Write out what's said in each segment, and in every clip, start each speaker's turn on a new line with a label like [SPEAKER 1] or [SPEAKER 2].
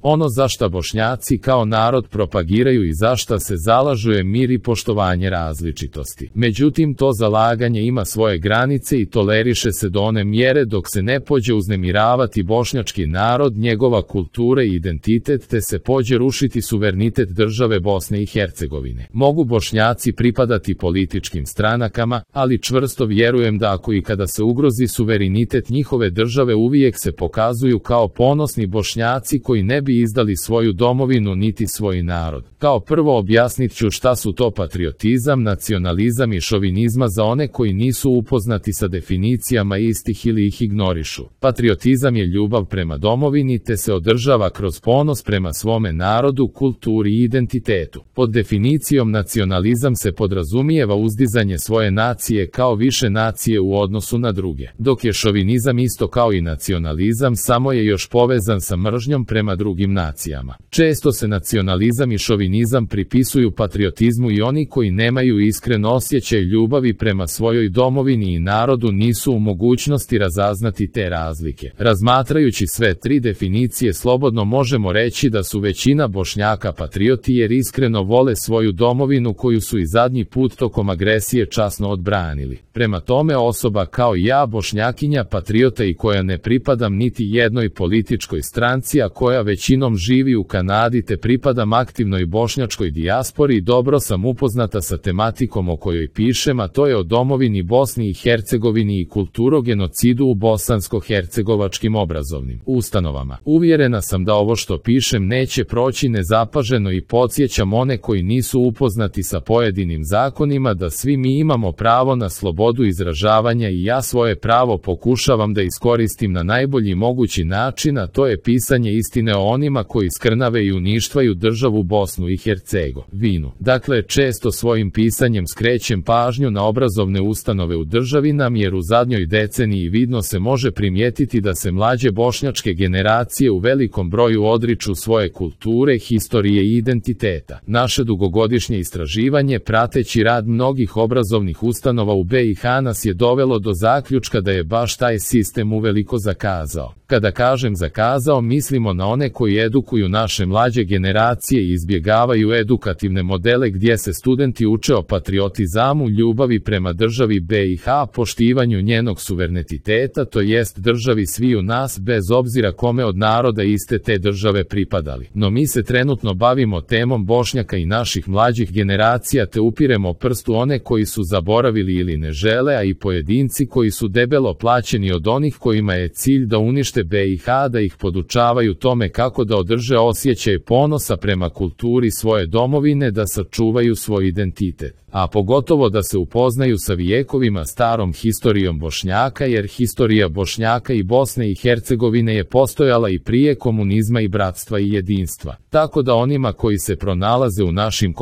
[SPEAKER 1] Ono za šta Bošnjaci kao narod propagiraju i za šta se zalažu je mir i poštovanje različitosti. Međutim, to zalaganje ima svoje granice i toleriše se do one mjere dok se ne pođe uznemiravati bošnjački narod, njegova kultura i identitet, te se pođe rušiti suverenitet države Bosne i Hercegovine. Mogu Bošnjaci pripadati političkim stranakama, ali čvrsto vjerujem da ako i kada se ugrozi suverenitet njihove države uvijek se pokazuju kao ponosni Bošnjaci koji ne bi izdali svoju domovinu niti svoj narod. Kao prvo objasnit ću šta su to patriotizam, nacionalizam i šovinizma za one koji nisu upoznati sa definicijama istih ili ih ignorišu. Patriotizam je ljubav prema domovini te se održava kroz ponos prema svome narodu, kulturi i identitetu. Pod definicijom nacionalizam se podrazumijeva uzdizanje svoje nacije kao više nacije u odnosu na druge. Dok je šovinizam isto kao i nacionalizam, samo je još povezan sa mržnjom prema drugim nacijama. Često se nacionalizam i šovinizam pripisuju patriotizmu i oni koji nemaju iskren osjećaj ljubavi prema svojoj domovini i narodu nisu u mogućnosti razaznati te razlike. Razmatrajući sve tri definicije slobodno možemo reći da su većina Bošnjaka patrioti jer iskreno vole svoju domovinu koju su i zadnji put tokom agresije časno odbranili. Prema tome osoba kao ja, Bošnjakinja, patriota i koja ne pripadam niti jednoj političkoj stranci, a koja većinom živi u Kanadi te pripadam aktivnoj bošnjačkoj dijaspori, dobro sam upoznata sa tematikom o kojoj pišem, a to je o domovini Bosni i Hercegovini i kulturogenocidu u bosansko-hercegovačkim obrazovnim ustanovama. Uvjerena sam da ovo što pišem neće proći nezapaženo i podsjećam one koji nisu upoznati sa pojedinim zakonima da svi mi imamo pravo na slobodu izražavanja i ja svoje pravo pokušavam da iskoristim na najbolji mogući način, a to je pisanje istine o onima koji skrnave i uništavaju državu Bosnu i Hercegovinu. Dakle, često svojim pisanjem skrećem pažnju na obrazovne ustanove u državi nam jer u zadnjoj deceniji vidno se može primijetiti da se mlađe bošnjačke generacije u velikom broju odriču svoje kulture, historije i identiteta. Naše dugogodišnje istraživanje prateći rad mnogih obrazovnih ustanova u BiH nas je dovelo do zaključka da je baš taj sistem uveliko zakazao. Kada kažem zakazao, mislimo na one koji edukuju naše mlađe generacije i izbjegavaju edukativne modele gdje se studenti uče o patriotizamu, ljubavi prema državi BiH, poštivanju njenog suvereniteta, to jest državi sviju nas bez obzira kome od naroda iste te države pripadali. No mi se trenutno bavimo temom Bošnjaka i naših mlađih generacija te upiremo prstu one koji su zaboravili ili ne žele, a i pojedinci koji su debelo plaćeni od onih kojima je cilj da unište BiH, da ih podučavaju tome kako da održe osjećaj ponosa prema kulturi svoje domovine, da sačuvaju svoj identitet, a pogotovo da se upoznaju sa vijekovima starom historijom Bošnjaka, jer historija Bošnjaka i Bosne i Hercegovine je postojala i prije komunizma i bratstva i jedinstva. Tako da onima koji se pronalaze u našim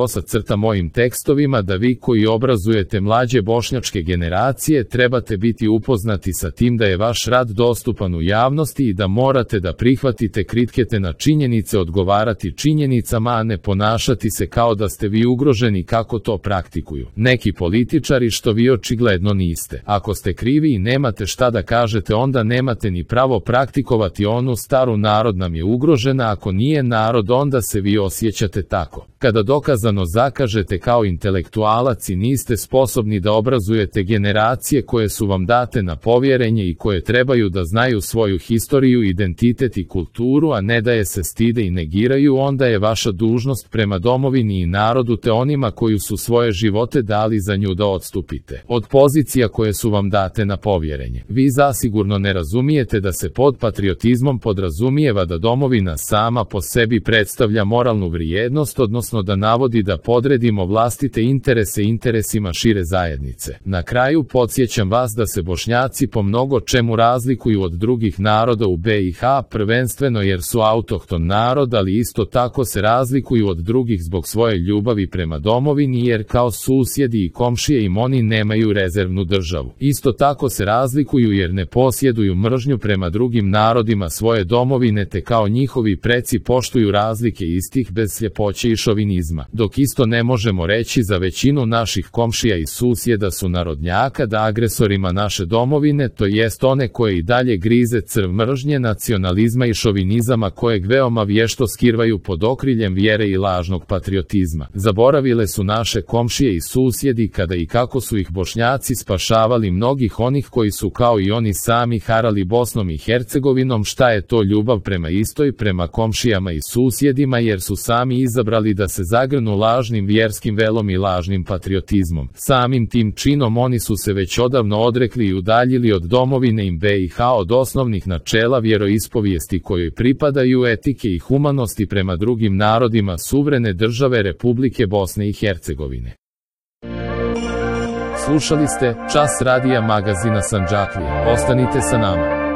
[SPEAKER 1] mojim tekstovima, da vi koji obrazujete mlađe bošnjačke generacije trebate biti upoznati sa tim da je vaš rad dostupan u javnosti i da morate da prihvatite kritike na činjenice, odgovarati činjenicama, a ne ponašati se kao da ste vi ugroženi kako to praktikuju neki političari, što vi očigledno niste. Ako ste krivi i nemate šta da kažete, onda nemate ni pravo praktikovati onu staru narod nam je ugrožena, ako nije narod onda se vi osjećate tako. Kada dokazano zakažete kao intelektualac i niste sposobni da obrazujete generacije koje su vam date na povjerenje i koje trebaju da znaju svoju historiju, identitet i kulturu, a ne da je se stide i negiraju, onda je vaša dužnost prema domovini i narodu te onima koji su svoje živote dali za nju da odstupite od pozicija koje su vam date na povjerenje. Vi zasigurno ne razumijete da se pod patriotizmom podrazumijeva da domovina sama po sebi predstavlja moralnu vrijednost, odnosno da navodi da podredimo vlastite interese interesima šire zajednice. Na kraju podsjećam vas da se Bošnjaci po mnogo čemu razlikuju od drugih naroda u BiH, prvenstveno jer su autohton narod, ali isto tako se razlikuju od drugih zbog svoje ljubavi prema domovini, jer kao susjedi i komšije im oni nemaju rezervnu državu. Isto tako se razlikuju jer ne posjeduju mržnju prema drugim narodima svoje domovine, te kao njihovi preci poštuju razlike istih bez sljepoće i šovinizma. Dok isto ne možemo reći za većinu naših komšija i susjeda su narodnjaka, da agresorima naše domovine, to jest one koje i dalje grize crv mržnje, nacionalizma i šovinizama kojeg veoma vješto skrivaju pod okriljem vjere i lažnog patriotizma. Zaboravile su naše komšije i susjedi kada i kako su ih Bošnjaci spašavali mnogih onih koji su kao i oni sami harali Bosnom i Hercegovinom. Šta je to ljubav prema istoj, prema komšijama i susjedima, jer su sami izabrali da se zagrnu lažnim vjerskim velom i lažnim patriotizmom. Samim tim činom oni su se već odavno odrekli i udaljili od domovine im BiH, od osnovnih načela vjeroispovijesti kojoj pripadaju, etike i humanosti prema drugim narodima suverene države Republike Bosne i Hercegovine. Slušali ste Čas radija magazina Sandžaklija. Ostanite sa nama.